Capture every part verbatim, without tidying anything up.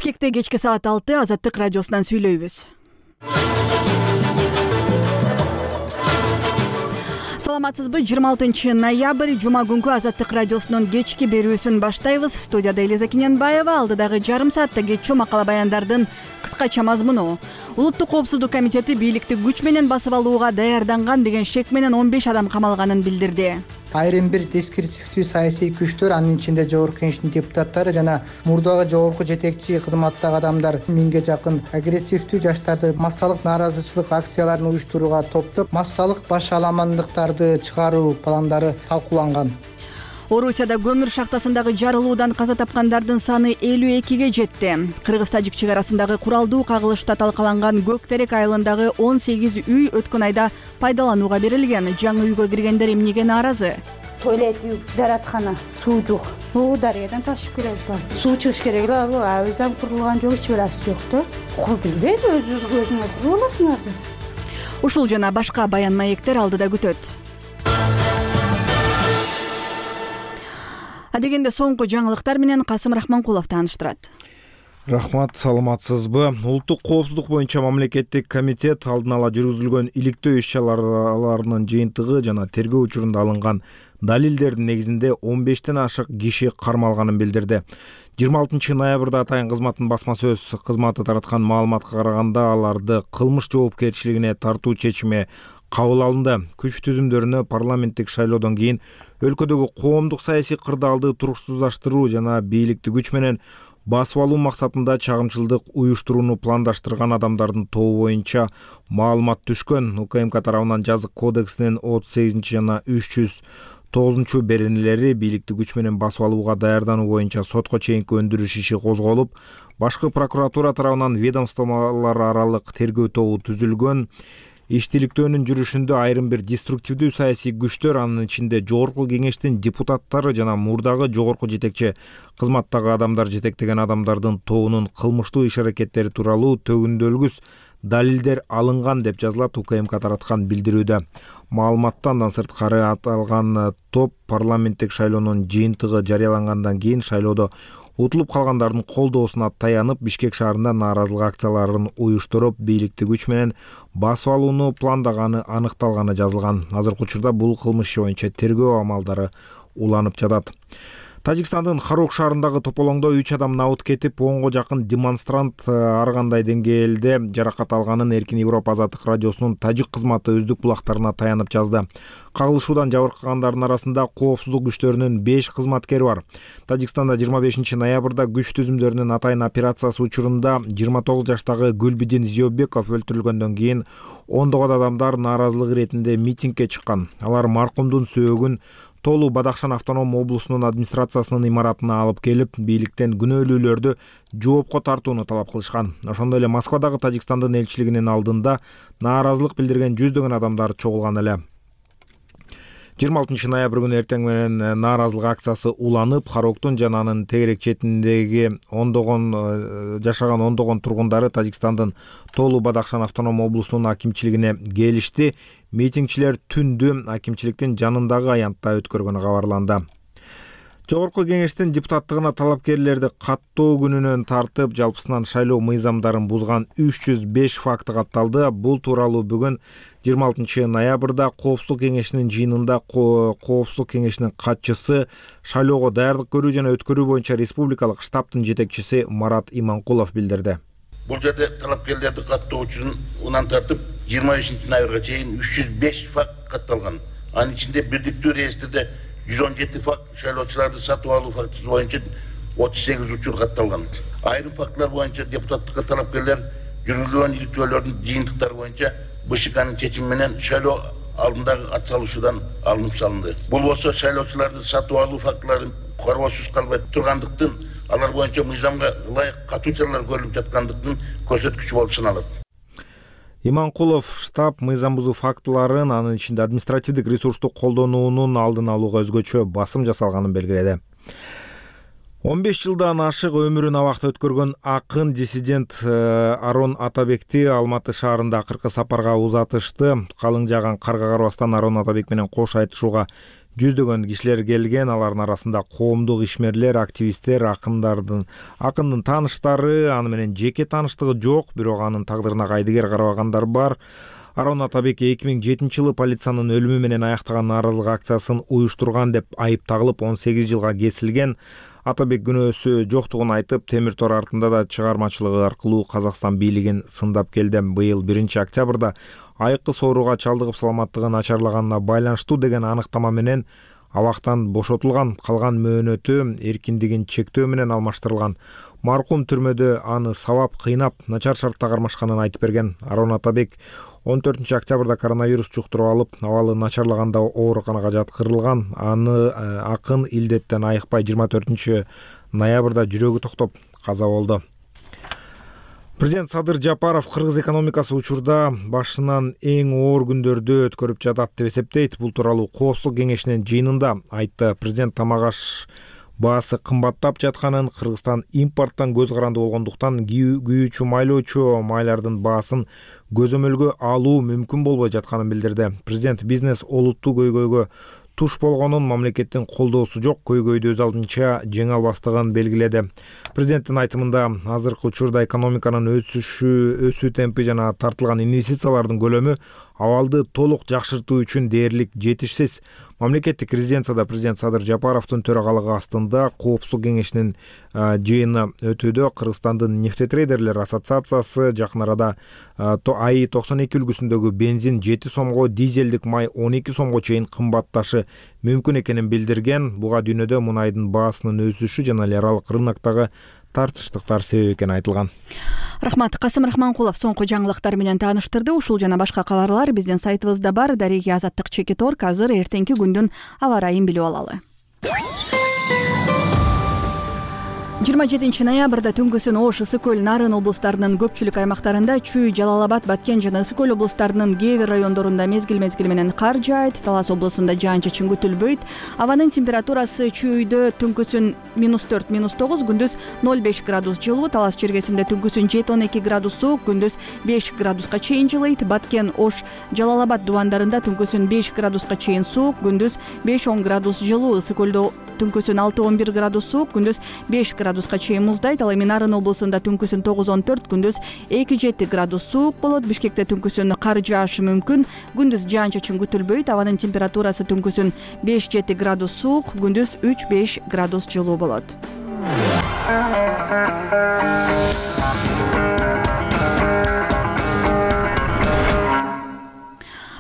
Бишкекте кечки саат алты Азаттык радиосунан сүйлөйбүз. Саламатсызбы? жыйырма алтынчы ноябрь жума күнкү Азаттык радиосунун кечки берүүсүн баштайбыз. Студияда Элиза Киненбаева, алдыдагы жарым саатта кетчү макала баяндардын кыскача мазмуну. Улуттук коопсуздук комитети бийликти күч менен басып алууга даярданган деген шек менен он беш адам камалганын билдирди. Айрым бир дискретивдүү саясий күчтөр, анын ичинде Жогорку Кеңештин депутаттары жана мурдагы жогорку жетекчи кызматтагы адамдар миңге жакын агрессивдүү жаштарды массалык нааразычылык акцияларын уюштурууга топтоп, массалык баш аламандыктарды чыгаруу пландары талкууланган. Орусияда көмүр шахтасындагы жарылуудан каза тапкандардын саны элүү экиге жетти. Кыргыз-тажик чек арасындагы куралдуу кагылышта талкаланган Көк Терек айылындагы он сегиз үй өткөн айда пайдаланууга берилген. Жаңы үйгө киргендер эмнеге нааразы? Туалет, даараткана, суу жок. Бул дарыядан ташып келет бар. Суу чыгыш керек эле, ал абыздан курулган жок, эч берасы жок да. Кол билбейм, өзүңүз өзүңөр куруп аласыңар деп. Ушул жана башка баян маектер алдыда күтөт. Адегенде соңку жаңылыктар менен Касым Рахманкулов тааныштырат. Рахмат, саламатсызбы? Улуттук коопсуздук боюнча мамлекеттик комитет алдын ала жүргүзүлгөн иликтөө иш-чараларынын жыйынтыгы жана тергөө учурунда алынган далилдердин негизинде он бештен ашык киши кармалганын билдирди. жыйырма алтынчы ноябрда атайын кызматтын басма сөз кызматы тараткан маалыматка караганда аларды кылмыш жоопкерчилигине тартуу чечими кабыл алынды. Күч түзүмдөрүнө парламенттик шайлоодон кийин өлкөдөгү коомдук саясий кырдаалды туруксуздаштыруу жана бийликти күч менен басып алуу максатында чагымчылдык уюштурууну пландаштырган адамдардын тобу боюнча маалымат түшкөн. УКМК тарабынан жазык кодексинин отуз сегизинчи жана үч жүз тогузунчу беренелери бийликти күч менен басып алууга даярдануу боюнча сотко чейинки өндүрүш иши козголуп, башкы прокуратура тарабынан ведомстволор аралык тергөө тобу түзүлгөн. Иштиликтөөнүн жүрүшүндө айрым бир деструктивдүү саясий күчтөр, анын ичинде Жогорку Кеңештин депутаттары жана мурдагы жогорку жетекчи кызматтагы адамдар жетектеген адамдардын тобунун кылмыштуу иш-аракеттери тууралуу төгүндөлгүс далилдер алынган деп жазылат УКМК тараткан билдирүүдө. Маалыматтан андан сырткары аталган топ парламенттик шайлоонун жыйынтыгы жарыялангандан кийин шайлоодо утулуп калгандардын колдоосуна таянып Бишкек шаарында нааразылык акцияларын уюштуруп, бийликти күч менен басып алууну пландаганы аныкталганы жазылган. Азыркы учурда бул кылмыш иши боюнча тергөө амалдары уланып жатат. Тажикстандын Харук шаарындагы тополоңдо үч адам набыт кетип, онго жакын демонстрант ар кандай деңгээлде жаракат алганын Эркин Европа Азаттык радиосунун тажик кызматы өздүк булактарына таянып жазды. Кагылышуудан жабыркагандардын арасында коопсуздук күчтөрүнүн беш кызматкери бар. Тажикстанда жыйырма бешинчи ноябрда күч түзүмдөрүнүн атайын операциясы учурунда жыйырма тогуз жаштагы Гүлбидин Зиёбеков өлтүрүлгөндөн кийин ондогон адамдар нааразылык иретинде митингге чыккан. Алар маркумдун сөөгүн Толу Бадахшан автоном облусунун администрациясынын имаратына алып келип, бийликтен күнөөлүүлөрдү жоопко тартууну талап кылышкан. Ошондой эле Москвадагы Тажикстандын элчилигинин алдында нааразылык билдирген жүздөгөн адамдар чогулган эле. жыйырма алтынчы ноябрь күнү эртең менен нааразылык акциясы уланып, Хароктун жана анын тегерек четиндеги ондогон жашаган ондогон тургундары Тажикстандын Толу Бадахшан автоном облусунун акимчилигине келишти. Митингчилер түндү акимчиликтин жанындагы аянтта өткөргөнү кабарланды. Жогорку Кеңештин депутаттыгына талапкерлерди каттоо күнүнөн тартып, жалпысынан шайлоо мыйзамдарын бузган үч жүз беш факты катталды. Бул тууралуу бүгүн жыйырма алтынчы ноябрда Коопсуздук Кеңешинин жыйынында Коопсуздук Кеңешинин катчысы, шайлоого даярдык көрүү жана өткөрүү боюнча республикалык штабтын жетекчиси Марат Иманкулов билдирди. Бул жерде талапкерлерди каттоо учурунан тартып, жыйырма бешинчи ноябрга чейин үч жүз беш факт катталган. Анын ичинде бирдиктүү реестрде жүз он жети факт, шайлоочуларды сатып алуу фактысы боюнча отуз сегиз учур катталган. Айрым фактылар боюнча депутаттыкка талапкерлер жүргүзүлгөн иликтөөлөрдүн жыйынтыктары боюнча БШКнын чечими менен шайлоо алдындагы ат салышуудан алынып салынды. Бул болсо шайлоочуларды сатып алуу фактылары коргоосуз калбай тургандыктын, алар боюнча мыйзамга ылайык катуу чаралар көрүлүп жаткандыктын көрсөткүчү болуп саналат. Иманкулов штаб мыйзам бузуу фактыларын, анын ичинде административдик ресурсту колдонуунун алдын алууга өзгөчө басым жасалганын белгиледи. он беш жылдан ашык өмүрүн абакта өткөргөн акын диссидент Арон Атабекти Алматы шаарында акыркы сапарга узатышты. Калың жааган карга карабастан Арон Атабек менен кош айтышууга жүздөгөн кишилер келген. Алардын арасында коомдук ишмерлер, активисттер, акындардын акындын тааныштары, аны менен жеке тааныштыгы жок, бирок анын тагдырына кайдыгер карабагандар бар. Арон Атабек эки миң жетинчи жылы полициянын өлүмү менен аяктаган нааразылык акциясын уюштурган деп айып тагылып он сегиз жылга кесилген. Атабек күнөөсү жоктугун айтып, темир тор артында да чыгармачылыгы аркылуу Казакстан бийлигин сындап келди. Быйыл биринчи октябрда айыккы сооруга чалдыгып саламаттыгы начарлаганына байланыштуу деген аныктама менен абактан бошотулган. Калган мөөнөтү эркиндигин чектөө менен алмаштырылган. Маркум түрмөдө аны сабап, кыйнап, начар шартта кармашканын айтып берген. Арон Атабек он төртүнчү октябрда коронавирус жуктуруп алып, абалы начарлаганда ооруканага жаткырылган. Аны акын илдеттен айыкпай жыйырма төртүнчү ноябрда жүрөгү токтоп каза болду. Президент Садыр Жапаров кыргыз экономикасы учурда башынан эң оор күндөрдү өткөрүп жатат деп эсептейт. Бул тууралуу Коопсуздук кеңешинин жыйынында айтты. Президент тамак аш баасы кымбаттап жатканын, Кыргызстан импорттон көз каранды болгондуктан күйүүчү майлоочу майлардын баасын көзөмөлгө алуу мүмкүн болбой жатканын билдирди. Президент бизнес олуттуу көйгөйгө туш болгонун, мамлекеттин колдоосу жок көйгөйдү өз алдынча жеңе албастыгын белгиледи. Президенттин айтымында азыркы учурда экономиканын өсүшү, өсүү темпи жана тартылган инвестициялардын көлөмү абалды толук жакшыртуу үчүн дээрлик жетишсиз. Мамлекеттик резиденцияда президент Садыр Жапаровдун төрагалыгы астында Коопсуздук кеңешинин жыйыны өтүүдө. Кыргызстандын нефтетрейдерлер ассоциациясы жакын арада АИ токсон эки үлгүсүндөгү бензин жети сомго, дизелдик май он эки сомго чейин кымбатташы мүмкүн экенин билдирген. Буга дүйнөдө мунайдын баасынын өсүшү жана эл аралык рыноктогу тартыштыктар себеп экени айтылган. Рахмат. Касым Рахманкулов соңку жаңылыктар менен тааныштырды. Ушул жана башка кабарлар биздин сайтыбызда бар. Дареги Азаттык чекит точка орг. Азыр эртеңки күндүн аба ырайын билип алалы. жыйырма жетинчи ноябрда түнкүсүн Ош, Ысык көл, Нарын облустарынын көпчүлүк аймактарында, Чүй, Жалал Абад, Баткен жана Ысык көл облустарынын кээ бир райондорунда мезгил-мезгил менен кар жаайт. Талас облусунда жаан-чачын күтүлбөйт. Абанын температурасы Чүйдө түнкүсүн минус төрт минус тогуз, күндүз ноль беш градус жылуу. Талас чергесинде түнкүсүн жети он эки градус суук, күндүз беш градуска чейин жылыйт. Баткен, Ош, Жалал Абад дубандарында түнкүсүн беш градуска чейин суук, күндүз беш он градус жылуу. Ысык көлдө түнкүсүн алты он бир градус суук, күндүз беш градуска чейин муздайт. Ал эми Нарын облусунда түнкүсүн тогуз он төрт, күндүз эки жети градус суук болот. Бишкекте түнкүсүн кар жаашы мүмкүн, күндүз жаан-чачын күтүлбөйт. Абанын температурасы түнкүсүн беш жети градус суук, күндүз үч беш градус жылуу болот.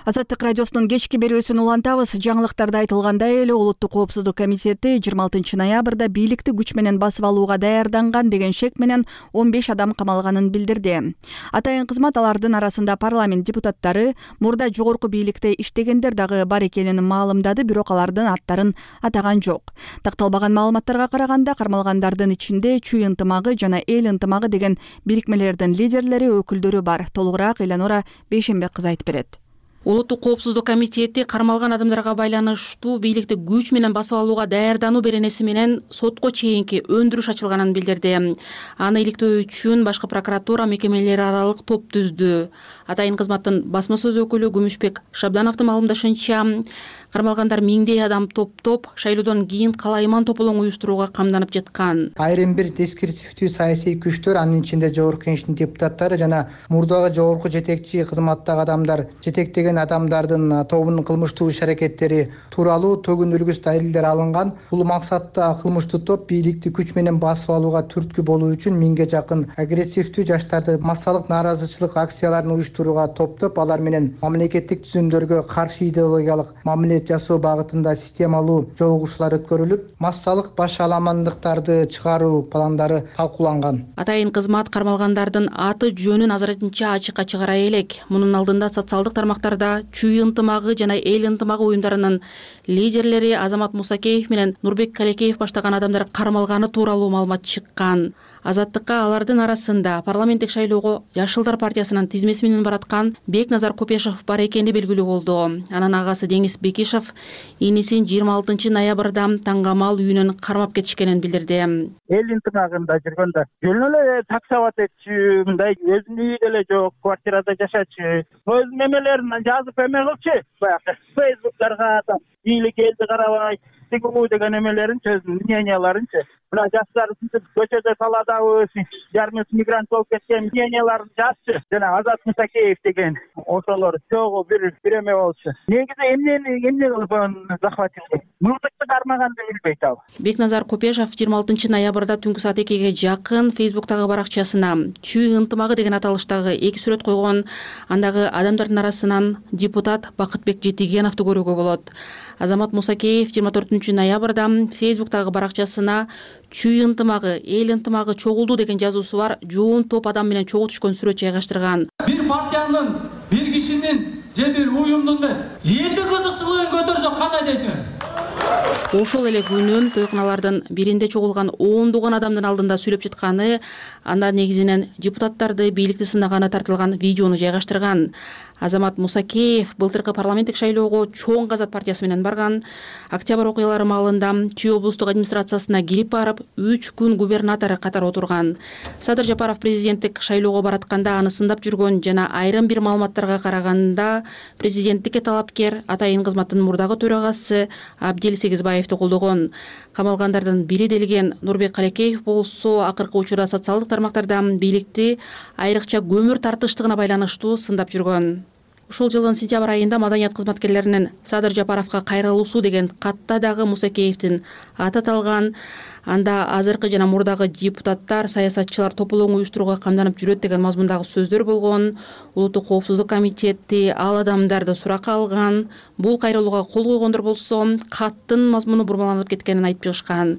Азаттык радиосунун кечки берүүсүн улантабыз. Жаңылыктарда айтылгандай эле Улуттук коопсуздук комитети жыйырма алтынчы ноябрда бийликти күч менен басып алууга даярданган деген шек менен он беш адам камалганын билдирди. Атайын кызмат алардын арасында парламент депутаттары, мурда жогорку бийликте иштегендер дагы бар экенин маалымдады, бирок алардын аттарын атаган жок. Такталбаган маалыматтарга караганда, кармалгандардын ичинде Чүй ынтымагы жана Эл ынтымагы деген бирикмелердин лидерлери, өкүлдөрү бар. Толугураак Эланора Бейшембек кызы айтып берет. Улуттук коопсуздук комитети кармалган адамдарга байланыштуу бийликти күч менен басып алууга даярдануу беренеси менен сотко чейинки өндүрүш ачылганын билдирди. Аны иликтөө үчүн башкы прокуратура мекемелери аралык топ түздү. Атайын кызматтын басма сөз өкүлү Күмүшбек Шабдановдун маалымдашынча, кармалгандар миңдей адам топтоп шайлоодон кийин калайман тополоң уюштурууга камданып жаткан. Айрым бир дескриптивдүү саясий күчтөр, анын ичинде жогорку кеңештин депутаттары жана мурдагы жогорку жетекчи кызматтагы адамдар жетектеген адамдардын тобунун кылмыштуу иш-аракеттери тууралуу төгүн үлгүс далилдер алынган. Бул максатта кылмыштуу топ бийликти күч менен басып алууга түрткү болуу үчүн миңге жакын агрессивдүү жаштарды массалык нааразычылык акцияларын уюштурууга топтоп, алар менен мамлекеттик түзүмдөргө каршы идеологиялык мамиле жасоо багытында системалуу жолугушуулар өткөрүлүп, массалык баш аламандыктарды чыгаруу пландары талкууланган. Атайын кызмат кармалгандардын аты жөнүн азырынча ачыкка чыгара элек. Мунун алдында социалдык тармактарда Чүй ынтымагы жана Эл ынтымагы уюмдарынын лидерлери Азамат Мусакеев менен Нурбек Калекеев баштаган адамдар кармалганы тууралуу маалымат чыккан. Азаттыкка алардын арасында парламенттик шайлоого Жашылдар партиясынын тизмеси менен бараткан Бекназар Копешов бар экени белгилүү болду. Анын агасы Деңиз Бекишев инисин жыйырма алтынчы ноябрда Таңгамал үйүнөн кармап кетишкенин билдирди. Эл ынтымагында жүргөндө жөн эле таксоват этчү, мындай өзүнүн үйү деле жок, квартирада жашачу, өз мемелерин жазып эме кылчу, баягы фейсбуктарга бийлик элди карабай тигүү деген эмелеринчи мненияларынчы мына жаштар көчөдө талаадабыз жарымыбыз мигрант болуп кеткен мненияларын жазчы жана Азат Мусакеев деген ошолор чогуу бир бир эме болчу. Негизи эмнени эмне кылып аны захватили мылтыкты кармаганды билбейт ал. Бекназар Копешов жыйырма алтынчы ноябрда түнкү саат экиге жакын Facebook'тагы баракчасына чүй ынтымагы деген аталыштагы эки сүрөт койгон. Андагы адамдардын арасынан депутат Бакытбек Жетигеновду көрүүгө болот. Азамат Мусакеев жыйырма төртүнчү ноябрда Facebook'тагы баракчасына чүй ынтымагы, эл ынтымагы чогулду деген жазуусу бар жоон топ адам менен чогуу түшкөн сүрөт жайгаштырган. Бир партиянын, бир кишинин же бир уюмдун эмес, элдин кызыкчылыгын көтөрсөк кандай дейсиңер? Ошол эле күнү тойкуналардын биринде чогулган ондогон адамдын алдында сүйлөп жатканы, анда негизинен депутаттарды бийликти сынаганы тартылган видеону жайгаштырган. Азамат Мусакеев былтыркы парламенттик шайлоого чоң Казат партиясы менен барган. Октябрь окуялары маалында Чүй облустук администрациясына кирип барып, үч күн губернатору катары отурган. Садыр Жапаров президенттик шайлоого баратканда аны сындап жүргөн жана айрым бир маалыматтарга караганда президенттикке талапкер атайын кызматтын мурдагы төрагасы Абдил Сегизбаевди колдогон. Камалгандардын бири делген Нурбек Калекеев болсо акыркы учурда социалдык тармактарда бийликти айрыкча көмүр тартыштыгына байланыштуу сындап жүргөн. Ушул жылдын сентябрь айында маданият кызматкерлеринин Садыр Жапаровго кайрылуусу деген катта дагы Мусакеевдин аты аталган. Анда азыркы жана мурдагы депутаттар, саясатчылар тополоң уюштурууга камданып жүрөт деген мазмундагы сөздөр болгон. Улуттук коопсуздук комитети ал адамдарды суракка алган. Бул кайрылууга кол койгондор болсо каттын мазмуну бурмаланып кеткенин айтып чыгышкан.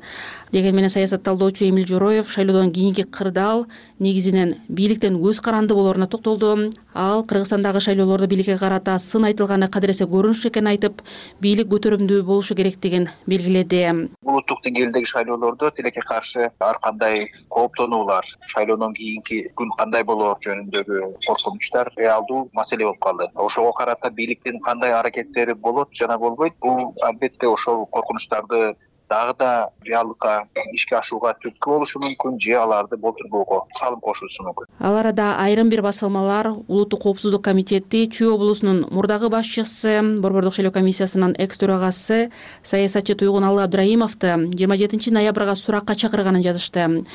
Деген менен саясат талдоочу Эмил Жороев шайлоодон кийинки кырдаал негизинен бийликтен көз каранды болоруна токтолду. Ал Кыргызстандагы шайлоолордо бийликке карата сын айтылганы кадыресе көрүнүш экенин айтып, бийлик көтөрүмдүү болушу керектигин белгиледи. Улуттук деңгээлдеги шайлоолордо тилекке каршы ар кандай кооптонуулар, шайлоодон кийинки күн кандай болоор жөнүндөгү коркунучтар реалдуу маселе болуп калды. Ошого карата бийликтин кандай аракеттери болот жана болбойт, бул албетте ошол коркунучтарды дагы да реалдыкка ишке ашууга түрткү болушу мүмкүн же аларды болтурбоого салым кошуусу мүмкүн. Ал арада айрым бир басылмалар Улуттук коопсуздук комитети Чүй облусунун мурдагы башчысы, Борбордук шайлоо комиссиясынын экс төрагасы саясатчы Туйгуналы Абдраимовду жыйырма жетинчи ноябрга суракка чакырганын жазышты.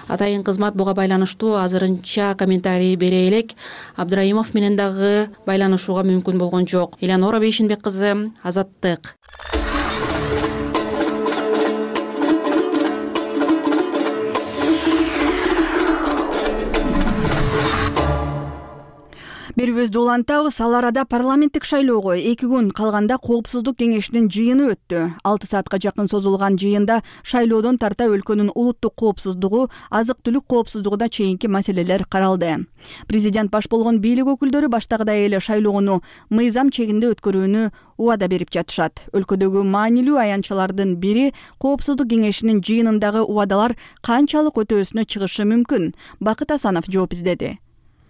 Атайын кызмат буга байланыштуу азырынча комментарий бере элек. Абдраимов менен дагы байланышууга мүмкүн болгон жок. Элеонора Бейшинбек кызы, Азаттык. Берүүбүздү улантабыз. Ал арада парламенттик шайлоого эки күн калганда коопсуздук кеңешинин жыйыны өттү. алты саатка жакын созулган жыйында шайлоодон тарта өлкөнүн улуттук коопсуздугу, азык-түлүк коопсуздугуна чейинки маселелер каралды. Президент баш болгон бийлик өкүлдөрү баштагыдай эле шайлоону мыйзам чегинде өткөрүүнү убада берип жатышат. Өлкөдөгү маанилүү аянтчалардын бири коопсуздук кеңешинин жыйынындагы убадалар канчалык өтөөсүнө чыгышы мүмкүн? Бакыт Асанов жооп издеди.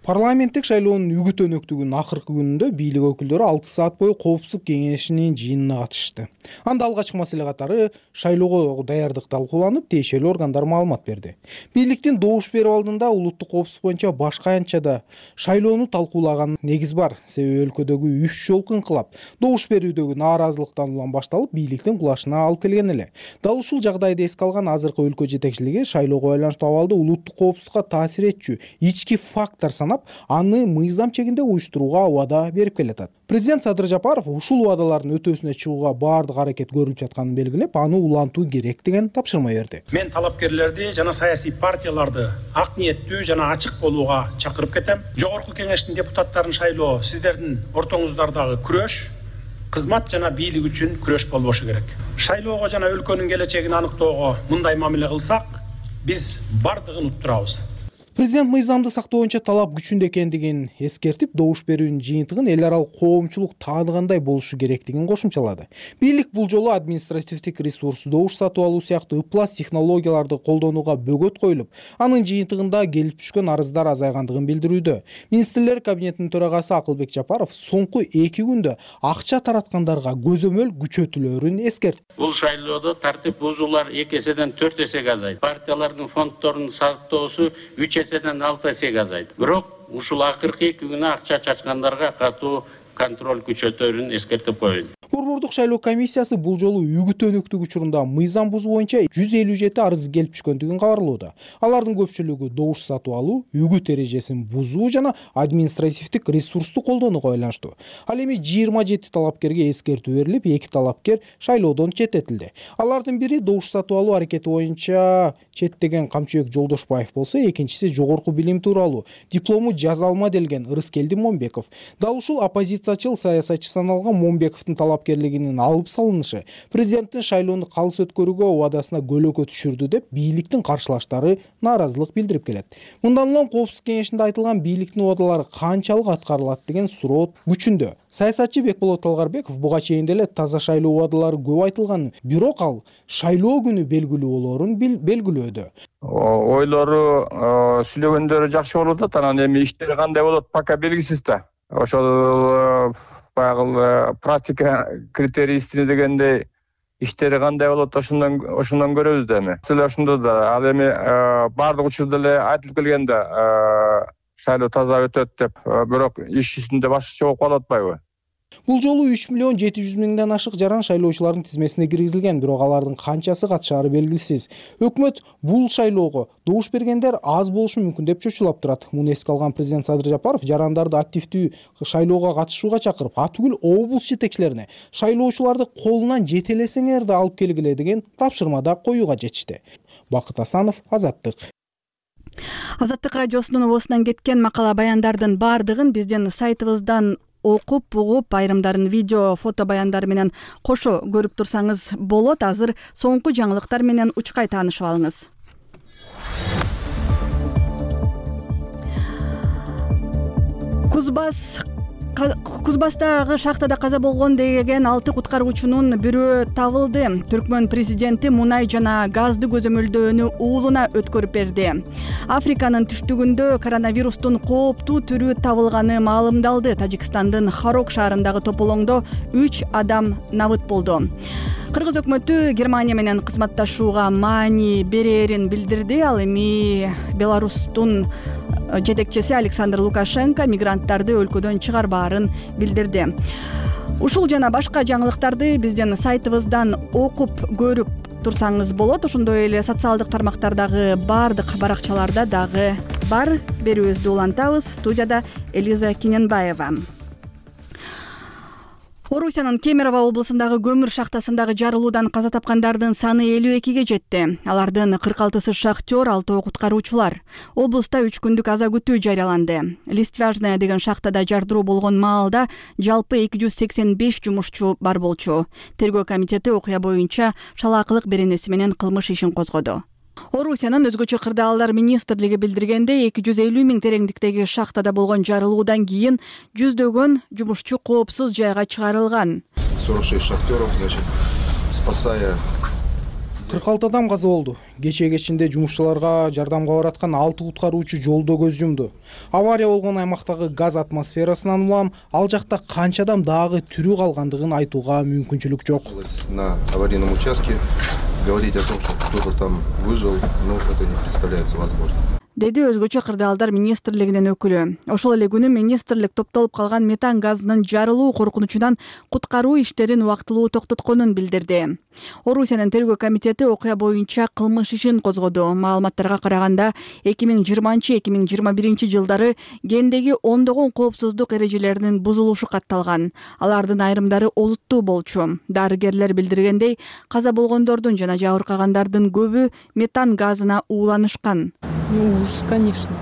Парламенттик шайлоонун үгүт өнөктүгүнүн акыркы күнүндө бийлик өкүлдөрү алты саат бою коопсуздук кеңешинин жыйынына катышты. Анда алгачкы маселе катары шайлоого даярдык талкууланып, тиешелүү органдар маалымат берди. Бийликтин добуш берүү алдында улуттук коопсуздук боюнча башка аянтчада шайлоону талкуулаган негиз бар. Себеби өлкөдөгү үч жолку инкылап добуш берүүдөгү нааразылыктан улам башталып, бийликтин кулашына алып келген эле. Дал ушул жагдайды эске алган азыркы өлкө жетекчилиги шайлоого байланыштуу абалды улуттук коопсуздукка таасир этчү ички фактор санап, аны мыйзам чегинде уюштурууга убада берип келатат. Президент Садыр Жапаров ушул убадалардын өтөөсүнө чыгууга баардык аракет көрүлүп жатканын белгилеп, аны улантуу керек деген тапшырма берди. Мен талапкерлерди жана саясий партияларды ак ниеттүү жана ачык болууга чакырып кетем. Жогорку кеңештин депутаттарын шайлоо сиздердин ортоңуздардагы күрөш, кызмат жана бийлик үчүн күрөш болбошу керек. Шайлоого жана өлкөнүн келечегин аныктоого мындай мамиле кылсак, биз бардыгын уттурабыз. Президент мыйзамды сактоо боюнча талап күчүндө экендигин эскертип, добуш берүүнүн жыйынтыгын эл аралык коомчулук тааныгандай болушу керектигин кошумчалады. Бийлик бул жолу административдик ресурс, добуш сатып алуу сыяктуу ыплас технологияларды колдонууга бөгөт коюлуп, анын жыйынтыгында келип түшкөн арыздар азайгандыгын билдирүүдө. Министрлер кабинетинин төрагасы Акылбек Жапаров соңку эки күндө акча тараткандарга көзөмөл күчөтүлөрүн эскертти. Бул шайлоодо тартип бузуулар эки эседен төрт эсеге азайды. Партиялардын фонддорунун сактоосу үч эседен алты эсеге азайды. Бирок ушул акыркы эки күнү акча чачкандарга катуу контроль күчөтөрүн эскертип коеюн. Борбордук шайлоо комиссиясы бул жолу үгүт өнөктүк учурунда мыйзам бузуу боюнча жүз элүү жети арыз келип түшкөндүгүн кабарлоодо. Алардын көпчүлүгү добуш сатып алуу, үгүт эрежесин бузуу жана административдик ресурсту колдонууга байланыштуу. Ал эми жыйырма жети талапкерге эскертүү берилип, эки талапкер шайлоодон четтетилди. Алардын бири добуш сатып алуу аракети боюнча четтеген Камчыбек Жолдошбаев болсо, экинчиси жогорку билим тууралуу диплому жаза алма делген Ырыскелди Момбеков. Дал ушул оппозициячыл саясатчы саналган Момбековдун талапкерлигинин алып салынышы президенттин шайлоону калыс өткөрүүгө убадасына көлөкө түшүрдү деп бийликтин каршылаштары нааразылык билдирип келет. Мындан улам Коопсуздук кеңешинде айтылган бийликтин убадалары канчалык аткарылат деген суроо күчүндө. Саясатчы Бекболот Талгарбеков буга чейин деле таза шайлоо убадалары көп айтылган, бирок ал шайлоо күнү белгилүү болоорун белгилөөдө. Ойлору, сүйлөгөндөрү жакшы болуп атат, анан эми иштери кандай болот пока белгисиз да. Ошол баягы практика критерийсине дегендей иштери кандай болот, ошондон ошондон көрөбүз да эми. Силе ошондо да ал эми баардык учурда эле айтылып келген да шайлоо таза өтөт деп, бирок иш жүзүндө башкача болуп калып атпайбы? Бул жолу үч миллион жети жүз миңден ашык жаран шайлоочулардын тизмесине киргизилген, бирок алардын канчасы катышаары белгисиз. Өкмөт бул шайлоого добуш бергендер аз болушу мүмкүн деп чочулап турат. Муну эске алган президент Садыр Жапаров жарандарды активдүү шайлоого катышууга чакырып, атүгүл облус жетекчилерине шайлоочуларды колунан жетелесеңер да алып келгиле деген тапшырмада коюуга жетишти. Бакыт Асанов, Азаттык. Азаттык радиосунун обосунан кеткен макала баяндардын баардыгын биздин сайтыбыздан окуп, угуп, айрымдарын видео, фото баяндар менен кошо көрүп турсаңыз болот. Азыр соңку жаңылыктар менен учкай таанышып алыңыз. Кузбас Кузбастагы шахтада каза болгон деген алты куткаруучунун бирөө табылды. Түркмөн президенти мунай жана газды көзөмөлдөөнү уулуна өткөрүп берди. Африканын түштүгүндө коронавирустун кооптуу түрү табылганы маалымдалды. Тажикстандын Харок шаарындагы тополоңдо үч адам набыт болду. Кыргыз өкмөтү Германия менен кызматташууга маани берерин билдирди. Ал эми Беларустун жетекчиси Александр Лукашенко мигранттарды өлкөдөн чыгарбаарын билдирди. Ушул жана башка жаңылыктарды биздин сайтыбыздан окуп көрүп турсаңыз болот. Ошондой эле социалдык тармактардагы баардык баракчаларда дагы бар. Берүүбүздү улантабыз. Студияда Элиза Киненбаева. Орусиянын Кемерово облусундагы көмүр шахтасындагы жарылуудан каза тапкандардын саны элүү экиге жетти. Алардын кырк алтысы шахтер, алтоо куткаруучулар. Облуста үч күндүк аза күтүү жарыяланды. Листвяжная деген шахтада жардыруу болгон маалда жалпы эки жүз сексен беш жумушчу бар болчу. Тергөө комитети окуя боюнча шалаакылык беренеси менен кылмыш ишин козгоду. Орусиянын өзгөчө кырдаалдар министрлиги билдиргендей, эки жүз элүү миң тереңдиктеги шахтада болгон жарылуудан кийин жүздөгөн жумушчу коопсуз жайга чыгарылган. сорок шесть шахтеров, значит, спасая кырк алты адам каза болду. Кечээ кечинде жумушчуларга жардамга бараткан алты куткаруучу жолдо көз жумду. Авария болгон аймактагы газ атмосферасынан улам ал жакта канча адам дагы тирүү калгандыгын айтууга мүмкүнчүлүк жок. На аварийном участке говорить о том, что кто-то там выжил, ну, это не представляется возможным. Деди өзгөчө кырдаалдар министрлигинин өкүлү. Ошол эле күнү министрлик топтолуп калган метан газынын жарылуу коркунучунан куткаруу иштерин убактылуу токтотконун билдирди. Орусиянын тергөө комитети окуя боюнча кылмыш ишин козгоду. Маалыматтарга караганда эки миң жыйырманчы эки миң жыйырма биринчи жылдары кендеги ондогон коопсуздук эрежелеринин бузулушу катталган. Алардын айрымдары олуттуу болчу. Дарыгерлер билдиргендей, каза болгондордун жана жабыркагандардын көбү метан газына ууланышкан. Ну, ужас, конечно.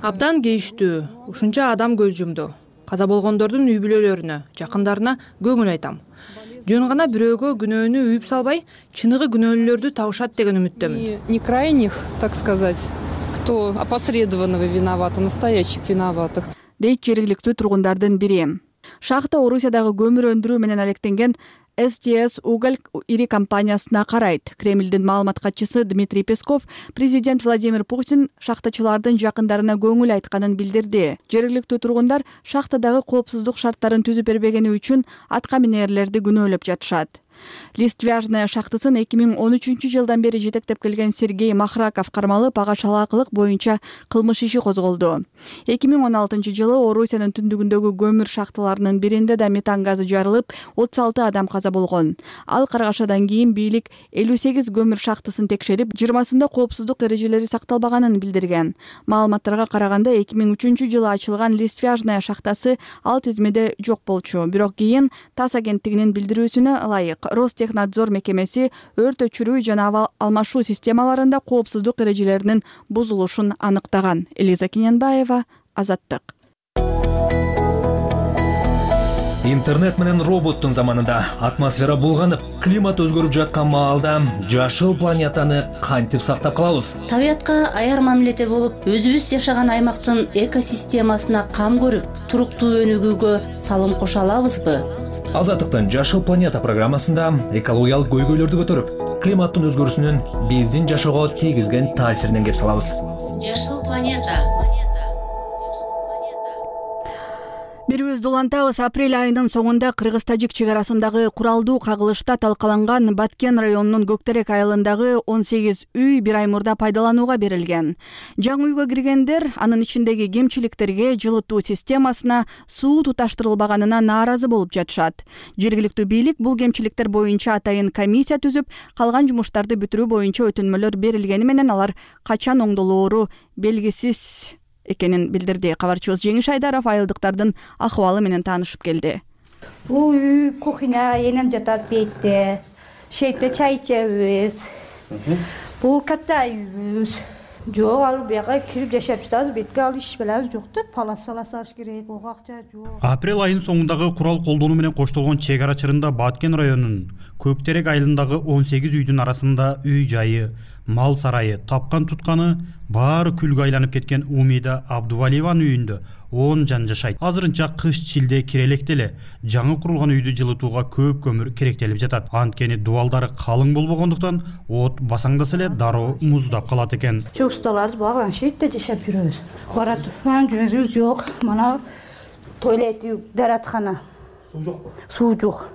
Абдан кейиштүү. Ушунча адам көз жумду. Каза болгондордун үй бүлөлөрүнө, жакындарына көңүл айтам. Жөн гана бирөөгө күнөөнү үйүп салбай, чыныгы күнөөлүүлөрдү табышат деген үмүттөмүн. Не крайних, так сказать, кто опосредованно виноват, а настоящих виноватых. Дейт жергиликтүү тургундардын бири. Шахта Орусиядагы көмүр өндүрүү менен алектенген эс ти эс Уголь ири компаниясына карайт. Кремлдин маалымат катчысы Дмитрий Песков президент Владимир Путин шахтачылардын жакындарына көңүл айтканын билдирди. Жергиликтүү тургундар шахтадагы коопсуздук шарттарын түзүп бербегени үчүн атка минерлерди күнөөлөп жатышат. Листвяжная шахтасын эки миң он үчүнчү жылдан бери жетектеп келген Сергей Махраков кармалып, ага шалаакылык боюнча кылмыш иши козголду. эки миң он алтынчы жылы Орусиянын түндүгүндөгү көмүр шахталарынын биринде да метан газы жарылып, отуз алты адам каза болгон. Ал каргашадан кийин бийлик элүү сегиз көмүр шахтасын текшерип, жыйырмасында коопсуздук эрежелери сакталбаганын билдирген. Маалыматтарга караганда эки миң үчүнчү жылы ачылган Листвяжная шахтасы ал тизмеде жок болчу. Бирок кийин ТАСС агенттигинин билдирүүсүнө ылайык Ростехнадзор мекемеси өрт өчүрүү жана алмашуу системаларында коопсуздук эрежелеринин бузулушун аныктаган. Элиза Киненбаева, Азаттык. Интернет менен роботтун заманында атмосфера булганып, климат өзгөрүп жаткан маалда жашыл планетаны кантип сактап калабыз? Табиятка аяр мамиледе болуп, өзүбүз жашаган аймактын экосистемасына кам көрүп, туруктуу өнүгүүгө салым кошо алабызбы? Азаттыктын Жашыл планета программасында экологиялык көйгөйлөрдү көтөрүп, климаттын өзгөрүүсүнүн биздин жашоого тийгизген таасиринен кеп салабыз. Жашыл планета. Бирибизди улантабыз. Апрель айынын соңунда Кыргыз-Тажик чек арасындагы куралдуу кагылышта талкаланган Баткен районунун Көктерек айылындагы он сегиз үй бир ай мурда пайдаланууга берилген. Жаңы үйгө киргендер анын ичиндеги кемчиликтерге, жылытуу системасына, суу туташтырылбаганына нааразы болуп жатышат. Жергиликтүү бийлик бул кемчиликтер боюнча атайын комиссия түзүп, калган жумуштарды бүтүрүү боюнча өтүнмөлөр берилгени менен алар качан оңдолоору белгисиз экенин билдирди. Кабарчыбыз Жеңиш Айдаров айылдыктардын акыбалы менен таанышып келди. Бул үй кухня, энем жатат бетте. Шейтте чай ичебиз. Бул катта үйүбүз. Жок, ал бияка кирип жашап жатабыз. Бетке ал иш белебиз жок да, палас салас аш керек, ого акча жок. Апрель айынын соңундагы курал колдонуу менен коштолгон чек ара чырында Баткен районунун Көктерек айылындагы он сегиз үйдүн арасында үй жайы, мал сарайы, тапкан тутканы баары күлгө айланып кеткен Умида Абдувалиеванын үйүндө он жан жашайт. Азырынча кыш чилде кирелек деле жаңы курулган үйдү жылытууга көп көмүр керектелип жатат. Анткени дубалдары калың болбогондуктан от басаңдаса эле дароо муздап калат экен. Чөпсталарыбыз баган шейтте жашап жүрөбүз. Бара турган жөнүбүз жок. Мана туалет, дараткана. Суу жокпу? Суу жок.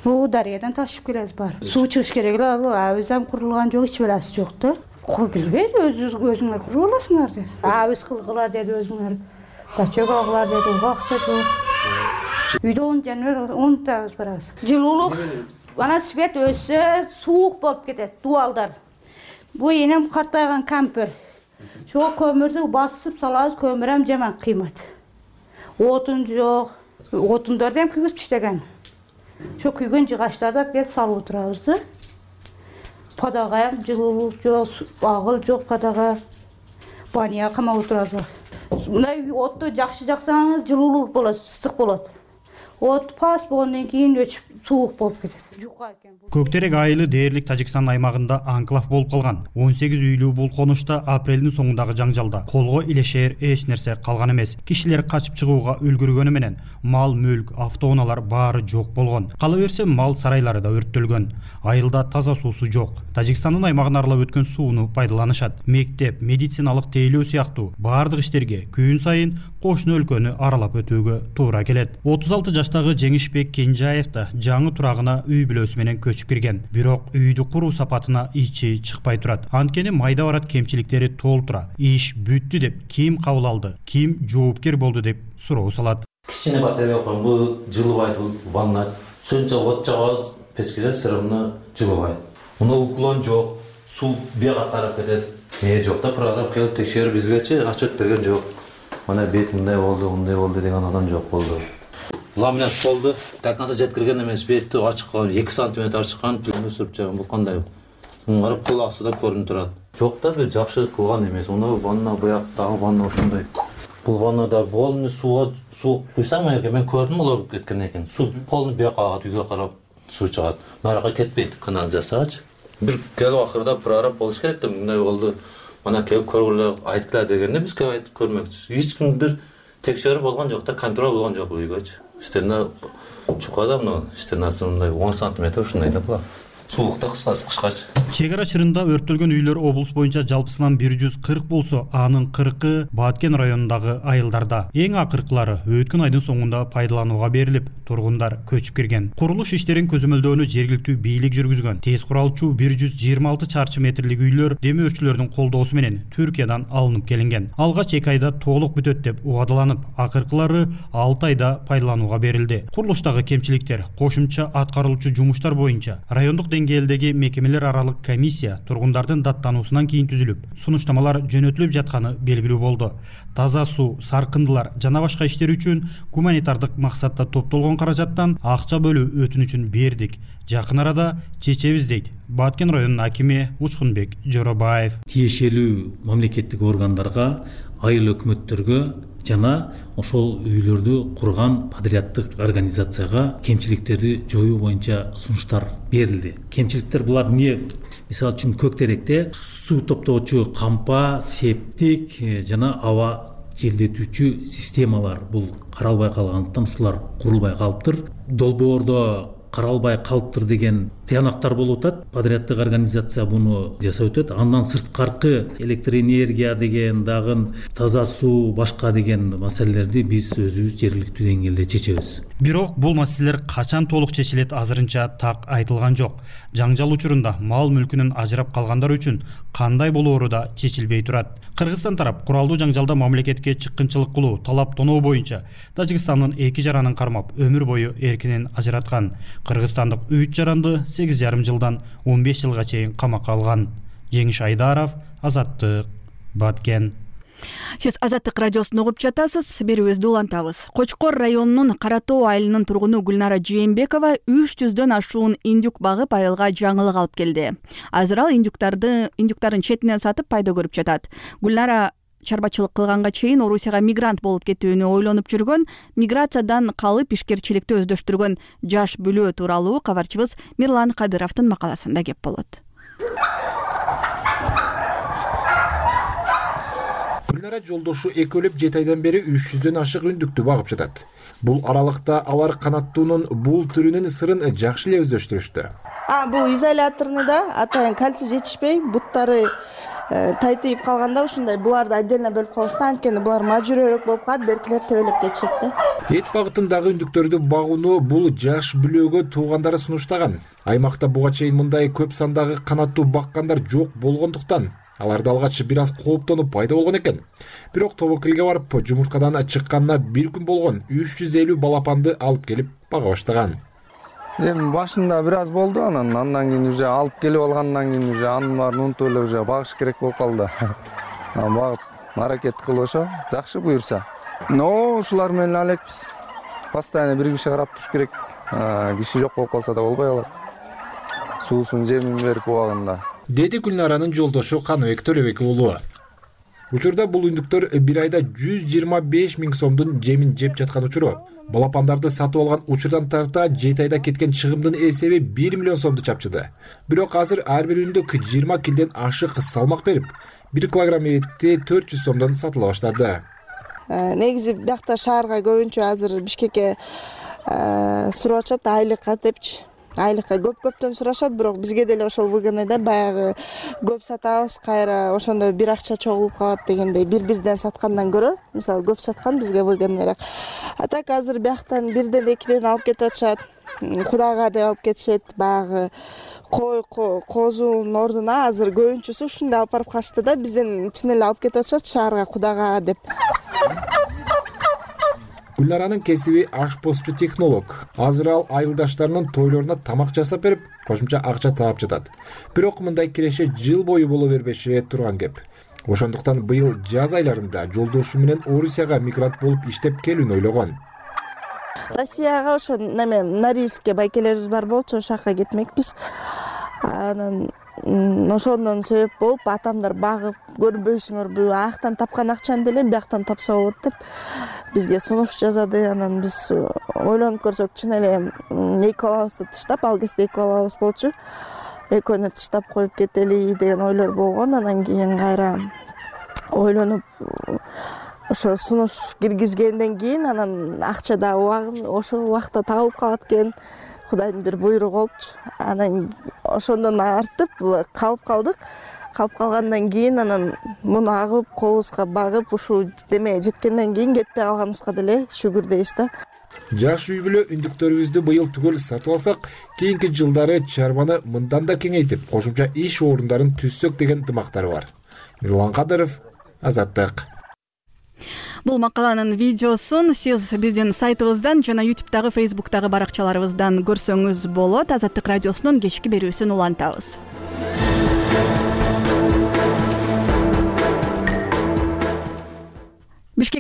Бул дарыядан ташып келебиз бар. Суу чыгыш керек эле, ал абыздан курулган жок, эч белеси жок да. Кур билбейт, өзүңөр өзүңөр куруп аласыңар деди. Абыз кылгылар деди өзүңөр. Дачок алгылар деди, ого акча жок. Үйдө он жаныбар, он табыз барабыз. Жылуулук, ана свет өссө суук болуп кетет, дубалдар. Бу энем картайган кампер. Ошо көмүрдү басып салабыз, көмүр ham жаман кыймат. Отун жок. Отундарды ham күйгүзүп иштеген. Ошо күйгөн жыгачтарды алып келип салып отурабыз да. Падага ham жылуулук жок, агыл жок падага. Баняга камап отурабыз. Мындай отту жакшы жаксаңыз жылуулук болот, ысык болот. От пас болгондон кийин өчүп суук болуп кетет. Жука экен. Көктерек айылы дээрлик Тажикстан аймагында анклав болуп калган. он сегиз үйлүү бул конушта апрелдин соңундагы жаңжалда колго илешер эч нерсе калган эмес. Кишилер качып чыгууга үлгүргөнү менен мал, мүлк, автоунаалар баары жок болгон. Кала берсе мал сарайлары да өрттөлгөн. Айылда таза суусу жок. Тажикстандын аймагын аралап өткөн сууну пайдаланышат. Мектеп, медициналык тейлөө сыяктуу баардык иштерге күн сайын кошуну өлкөнү аралап өтүүгө туура келет. отуз алты жаштагы Жеңишбек Кенжаев да жаңы турагына үй бүлөсү менен көчүп кирген. Бирок үйдү куруу сапатына ичи чыкпай турат. Анткени майда барат кемчиликтери толтура. Иш бүттү деп ким кабыл алды, ким жоопкер болду деп суроо салат. Кичине батарея койгон, бул жылыбайт, бул ванна. Сөнчө от жагабыз, печкелер сырымны жылыбайт. Муну уклон жок, суу бияга карап кетет. Эмне жок да, программа келип текшерип бизгечи отчет берген жок. Мына бет мындай болду, мындай болду деген адам жок болду. Ламинат болду. До конца жеткирген эмес, бетти ачыккан, эки сантиметр ачыккан, жүнү сүрүп жаган. Бул кандай? Муну карап кул астыдан көрүнүп турат. Жок да, бир жакшы кылган эмес. Муну ванна буяктагы ванна ошондой. Бул ваннада болну сууга суу куйсаң экен, мен көрдүм улап кеткен экен. Суу полну бияка агат, үйгө карап суу чыгат. Нарага кетпейт, канализацияга. Бир келип акырда прораб болуш керек да, мындай болду. Мана келип көргүлө айткыла дегенде биз келип айтып көрмөкчүбүз. Эч ким бир текшерүү болгон жок да, контроль болгон жок бул үйгөчү. Стена чукада мына стенасы мындай он сантиметр ушундай да бар. суукта кышкач. Чек ара чырында өрттөлгөн үйлөр облус боюнча жалпысынан бир жүз кырк болсо, анын кыркы Баткен районундагы айылдарда. Эң акыркылары өткөн айдын соңунда пайдаланууга берилип, тургундар көчүп кирген. Курулуш иштерин көзөмөлдөөнү жергиликтүү бийлик жүргүзгөн. Тез куралчу бир жүз жыйырма алты чарчы метрлик үйлөр демөөрчүлөрдүн колдоосу менен Түркиядан алынып келинген. Алгач эки айда толук бүтөт деп убадаланып, акыркылары алты айда пайдаланууга берилди. Курулуштагы кемчиликтер кошумча аткарылуучу жумуштар боюнча райондук деңгээлдеги мекемелер аралык комиссия тургундардын даттануусунан кийин түзүлүп, сунуштамалар жөнөтүлүп жатканы белгилүү болду. Таза суу, саркындылар жана башка иштер үчүн гуманитардык максатта топтолгон каражаттан акча бөлүү өтүнүчүн бердик. Жакын арада чечебиз дейт Баткен районунун акими Учкунбек Жоробаев. Тиешелүү мамлекеттик органдарга, айыл өкмөттөргө жана ошол үйлөрдү курган подряддык организацияга кемчиликтерди жоюу боюнча сунуштар берилди. Кемчиликтер булар эмне? Мисалы үчүн Көктеректе суу топтоочу кампа, септик жана аба желдетүүчү системалар бул каралбай калгандыктан ушулар курулбай калыптыр. Долбоордо каралбай калыптыр деген тыянактар болуп атат. Подряддык организация буну жасап өтөт. Андан сырткаркы электроэнергия деген, дагы таза суу, башка деген маселелерди биз өзүбүз жергиликтүү деңгээлде чечебиз. Бирок бул маселелер качан толук чечилет азырынча так айтылган жок. Жаңжал учурунда мал мүлкүнөн ажырап калгандар үчүн кандай болоору да чечилбей турат. Кыргызстан тарап куралдуу жаңжалда мамлекетке чыккынчылык кылуу, талап тоноо боюнча Тажикстандын эки жаранын кармап, өмүр бою эркинен ажыраткан. Кыргызстандык үч жаранды сегиз жарым жылдан он беш жылга чейин камакка алган. Жеңиш Айдаров, Азаттык, Баткен. Сиз Азаттык радиосун угуп жатасыз, берүүбүздү улантабыз. Кочкор районунун Кара Тоо айылынын тургуну Гүлнара Жээнбекова үч жүздөн ашуун индюк багып айылга жаңылык алып келди. Азыр ал индюктарды индюктарын четинен сатып пайда көрүп жатат. Гүлнара чарбачылык кылганга чейин Орусияга мигрант болуп кетүүнү ойлонуп жүргөн, миграциядан калып ишкерчиликти өздөштүргөн жаш бүлөө тууралуу кабарчыбыз Мирлан Кадыровдун макаласында кеп болот. Гүлнара жолдошу экөөлөп жети айдан бери үч жүздөн ашык үндүктү багып жатат. Бул аралыкта алар канаттуунун бул түрүнүн сырын жакшы эле өздөштүрүштү. А бул изоляторный да, атайын кальций жетишпей, буттары тайтыйып калганда ушундай буларды отдельно бөлүп коебуз да, анткени булар мажүрөөрөөк болуп калат, беркилер тебелеп кетишет да. Эт багытындагы үндүктөрдү багууну бул жаш бүлөөгө туугандары сунуштаган. Аймакта буга чейин мындай көп сандагы канаттуу баккандар жок болгондуктан аларды алгач бир аз кооптонуп пайда болгон экен. Бирок тобокелге барып, жумурткадан чыкканына бир күн болгон үч жүз элүү балапанды алып келип бага баштаган. Эми башында бир аз болду, анан андан кийин уже алып келип алгандан кийин уже анын баарын унутуп эле уже багыш керек болуп калды. Багып аракет кылып ошо жакшы буюрса. Но ушулар менен элекпиз. Постоянно бир киши карап туруш керек. Киши жок болуп калса да болбой калат. Суусун жемин берип убагында. Деди Гүлнаранын жолдошу Каныбек Төрөбек уулу. Учурда бул үндүктөр бир айда жүз жыйырма беш миң сомдун жемин жеп жаткан учуру. Балапандарды сатып алган учурдан тарта жети айда кеткен чыгымдын эсеби бир миллион сомду чапчыды. Бирок азыр ар бир үндүк жыйырма килден ашык салмак берип, бир килограмм этти төрт жүз сомдон сатыла баштады. Негизи биякта шаарга көбүнчө азыр Бишкекке сурашат айлыкка депчи. Айлыкка көп-көптөн сурашат, бирок бизге деле ошол выгодныйда баягы көп сатабыз, кайра ошондой бир акча чогулуп калат дегендей бир-бирден саткандан көрө, мисалы көп саткан бизге выгодныйраак. А так азыр бияктан бирден экиден алып кетип атышат. Кудага деп алып кетишет, баягы кой козунун ордуна азыр көбүнчөсү ушундай алып барып калышты да, бизден чын эле алып кетип атышат шаарга кудага деп. Гүлнаранын кесиби ашпозчу технолог. Азыр ал айылдаштарынын тойлоруна тамак жасап берип, кошумча акча таап жатат. Бирок мындай киреше жыл бою боло бербеши турган кеп. Ошондуктан быйыл жаз айларында жолдошу менен Орусияга мигрант болуп иштеп келүүнү ойлогон. Россияга ошо неме Норильскке байкелерибиз бар болчу, ошол жака кетмекпиз. Анан ошондон себеп болуп атамдар багып көрбөйсүңөрбү, аяктан тапкан акчаны деле бияктан тапса болот деп бизге сунуш жазады. Анан биз ойлонуп көрсөк, чын эле эки балабызды тыштап, ал кезде эки балабыз болчу. Экөөнү тыштап коюп кетели деген ойлор болгон. Анан кийин кайра ойлонуп ошо сунуш киргизгенден кийин анан акча да ошол убакта табылып калат экен. Кудайдын бир буйругу болчу. Анан ошондон артып калып калдык. Калып калгандан кийин анан муну агып, кобузга багып, ушул демеге жеткенден кийин кетпей калганыбызга деле шүгүр дейбиз да. Жаш үй бүлө үндүктөрүбүздү быйыл түгөл сатып алсак, кийинки жылдары чарбаны мындан да кеңейтип, кошумча иш орундарын түзсөк деген дымактары бар. Мирлан Кадыров, Азаттык. Бул макаланын видеосун сиз биздин сайтыбыздан жана ютубтагы, фейсбуктагы баракчаларыбыздан көрсөңүз болот. Азаттык радиосунун кечки берүүсүн улантабыз. Бишкек